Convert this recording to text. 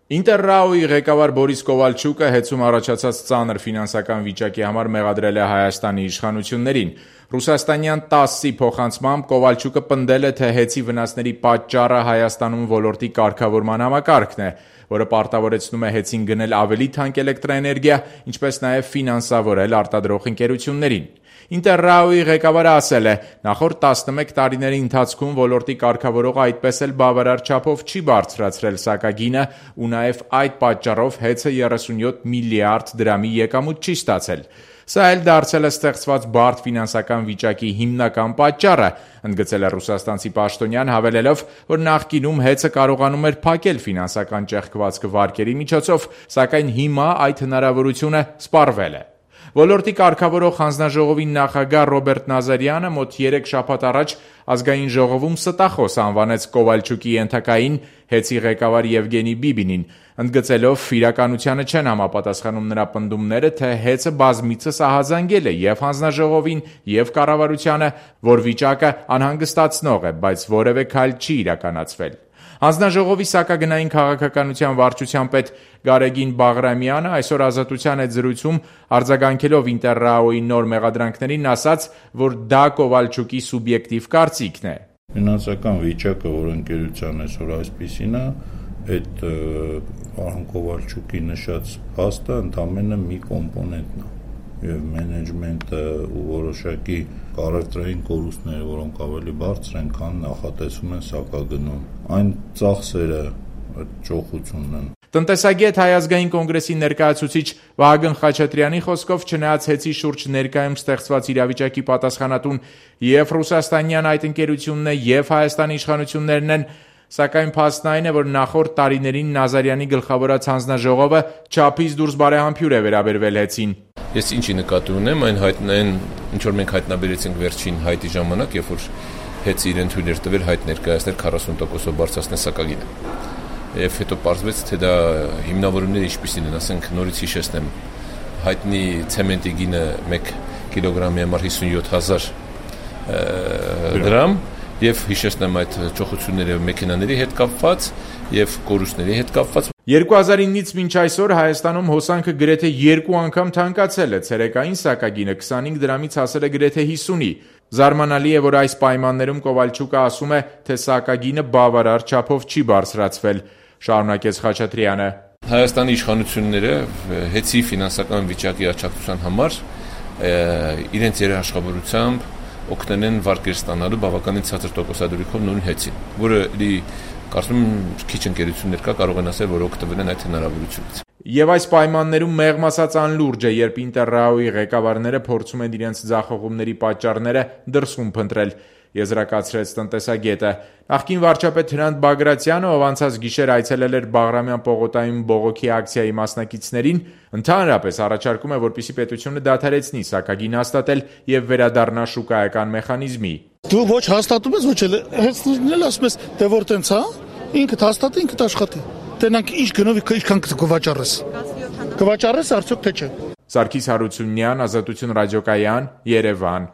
Ինտերրաոյի ղեկավար Բորիս Կովալչուկը հեծում առաջացած ծանր ֆինանսական վիճակի համար մեղադրել է Հայաստանի իշխանություններին։ Ռուսաստանյան ՏԱՍՍ-ի փոխանցմամբ Կովալչուկը պնդել է, թե հեծի վնասների պատճառը Հայաստանում ոլորտի կարգավորման համակարգն է, որը պարտավորեցնում է հեծին գնել ավելի թանկ էլեկտրաէներգիա, ինչպես նաև ֆինանսավորել արտադրող ընկերություններին։ Ինտերրաոյի ղեկավարը ասել է, նախորդ 11 տարիների ընթացքում ոլորտի կարգավորողը այդպես էլ բավարար չափով չի բարձրացրել սակագինը ու նաև այդ պատճառով հեծը 37 միլիարդ դրամի եկամուտ չի ստացել։ Սա էլ դարձել է ստեղծված բարդ ֆինանսական վիճակի հիմնական պատճառը, ընդգծել է ռուսաստանցի պաշտոնյան, հավելելով, որ նախկինում հեծը կարողանում էր փակել ֆինանսական ճեղքվածքը վարկերի միջոցով, սակայն հիմա այդ հնարավորությունը սպառվել է։ Ոլորտի կարգավորող հանձնաժողովի նախագահ Ռոբերտ Նազարյանը մոտ 3 շաբաթ առաջ ազգային ժողովում ստախոս անվանեց Կովալչուկի ենթակային հեծի ղեկավար Եվգենի Բիբինին, ընդգծելով իրականությանը չեն համապատասխանում նրա պնդումները, թե հեծը բազմիցս ահազանգել է և հանձնաժողովին, և կառավարությանը, որ վիճակը անհանգստացնող է, բայց որևէ քայլ չի իրականացվել։ Հանձնաժողովի սակագնային քաղաքականության վարչության պետ Գարեգին Բաղրամյանը այսօր Ազատության հետ զրույցում արձագանքելով Ինտերրաոյի նոր մեղադրանքներին ասաց, որ դա Կովալչուկի սուբյեկտիվ կարծիքն է։ Ֆինանսական վիճակը, որ ընկերության այսօր այսպիսին է, այդ պարոն Կովալչուկի նշած փաստը ընդամենը մի կոմպոնենտն է։ Եվ մենեջմենտը ու որոշակի առևտրային կորուստները, որոնք ավելի բարձր են, քան նախատեսում են սակագնում, այն ծախսերը ճոխությունն են։ Տնտեսագետ Հայ ազգային կոնգրեսի ներկայացուցիչ Վահագն Խաչատրյանի խոսքով, չնայած հեծի շուրջ ներկայում ստեղծված իրավիճակի պատասխանատուն և ռուսաստանյան այդ ընկերությունն է, և Հայաստանի իշխանություններն են, սակայն փաստն այն է, որ նախորդ տարիներին Նազարյանի գլխավորած հանձնաժողովը չափից դուրս բարեհամբույր է վերաբերվել հեծին։ Ես ինչի նկատի ունեմ, այն ինչ որ մենք հայտնաբերեցինք վերջին հայտի ժամանակ, երբ որ հեծը իրեն թույլ էր տվել հայտ ներկայացնել 40%-ով բարձրացնել սակագինը։ Եվ հետո պարզվեց, թե դա հիմնավորումները ինչպիսին են, ասենք նորից հիշեցնեմ, հայտնի ցեմենտի գինը 1 կիլոգրամի համար 57,000 դրամ, եւ հիշեցնեմ այդ ճոխությունները մեքենաների հետ կապված եւ կորուստների հետ կապված։ 2009-ից մինչ այսօր Հայաստանում հոսանքը գրեթե 2 անգամ թանկացել է, ցերեկային սակագինը 25 դրամից հասել է գրեթե 50-ի։ Զարմանալի է, որ այս պայմաններում Կովալչուկը ասում է, թե սակագինը բավարար չափով չի բարձրացվել, շարունակեց Խաչատրյանը։ Հայաստանի իշխանությունները հեծի ֆինանսական վիճակի աջակցության համար իրենց երաշխավորությամբ օգնել են վարկեր ստանալու բավականին ցածր տոկոսադրույքով նույն հեծին, որը կարծում եմ քիչ ընկերություններ կա կարող են ասել, որ օգտվել են այդ հնարավորությունից։ Եվ այս պայմաններում մեղմ ասած անլուրջ է, երբ Ինտերրաոյի ղեկավարները փորձում են իրենց ձախողումների պատճառները դրսում փնտրել, եզրակացրեց տնտեսագետը։ Նախկին վարչապետ Հրանտ Բագրատյանը, ով անցած գիշեր այցելել էր Բաղրամյան պողոտայում բողոքի ակցիայի մասնակիցներին, ընդհանրապես առաջարկում է, որպեսզի պետությունը դադարեցնի սակագին հաստատել եւ վերադառնա շուկայական մեխանիզմի։ Դու ոչ հաստատում ես, ոչ էլ հեծնել ասում ես, թե որ տենց հա, ինքդ հաստատի, ինքդ աշխատի։ Տենանք ինչ գնով ինչքան կվաճառես։ Կվաճառես արդյոք թե չէ։ Սարգիս Հարությունյան, Ազատություն ռադիոկայան, Երևան։